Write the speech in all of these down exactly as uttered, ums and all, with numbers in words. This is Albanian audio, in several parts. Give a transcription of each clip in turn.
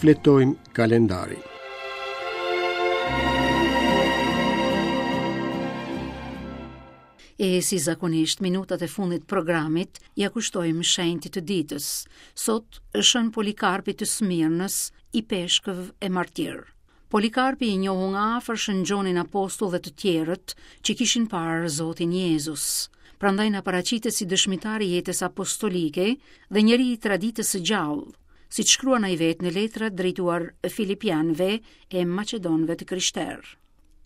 Shfletojmë kalendarin. E si zakonisht minutat e fundit programit ia kushtojmë shenjtit të ditës. Sot Shën Polikarpit të Smirnës, ipeshkëv e martir. Polikarpi i njohu nga afër Shën Gjonin Apostull dhe të tjerët që kishin parë Zotin Jezus. Prandaj na paraqitet si dëshmitar i jetës apostolike dhe njeri i traditës së gjallë, siç shkruan ai vetë në letrat drejtuar Filipianëve e Maqedonëve të krishterë.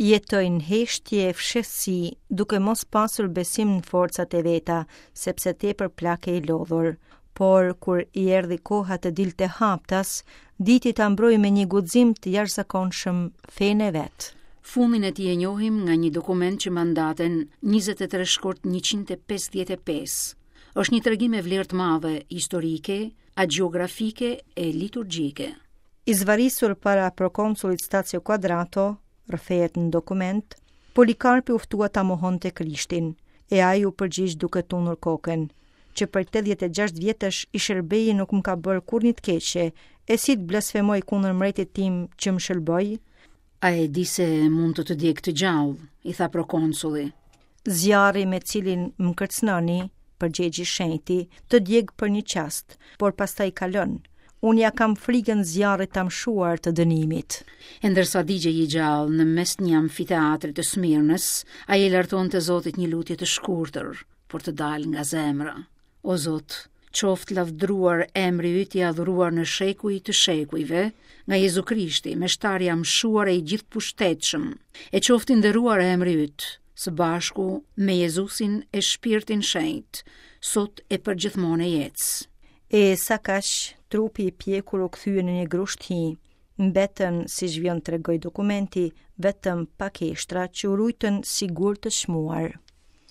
Jetoi në heshtje e fshehtësi, duke mos pasur besim në forcat e veta, sepse tepër plak e i lodhur. Por, kur i erdhi koha të dilte haptas, diti ta mbrojë me një guxim të jashtëzakonshëm fenë e vet. Fundin e tij e njohim nga një dokument që mban datën njëzet e tre shkurt njëqind e pesëdhjetë e pesë. Është një tregim me vlerë të madhe historike, agjeografike e liturgjike. I zvarisur para prokonsullit Stacio Quadrato, rrëfehet në dokument, Polikarpi u ftua ta mohonte Krishtin, e ai u përgjigj duke tundur kokën, që për tetëdhjetë e gjashtë vjetësh i shërbej nuk më ka bërë kurrë një të keqe, e si të blasfemoj kundër mbretit tim që më shëlboi? A e di se mund të të djeg të gjallë, i tha prokonsulli. Zjarri me cilin më kërcënoni, përgjegji shenjti, të djeg për një çast, por pastaj kalon. Unë ja kam frigën zjarrit të amshuar të dënimit. E ndërsa digjej i gjallë në mes një amfiteatri të Smirnës, ai e lartonte Zotit një lutje të shkurtër, por të dalë nga zemra. O Zot, qoftë lavdruar emri yt i adhuruar në shekuj të shekujve, nga Jezu Krishti, meshtari i amshuar e i gjithëpushtetshëm, e qoftë i nderuar emri yt, së bashku me Jezusin e Shpirtin Shenjt, sot e përgjithmonë e jetës. E sa kaq, trupi i pjekur u kthye në një grusht hi. Mbetën, si vijon tregoj dokumenti, vetëm pak eshtra që u rujtën si gur të çmuar.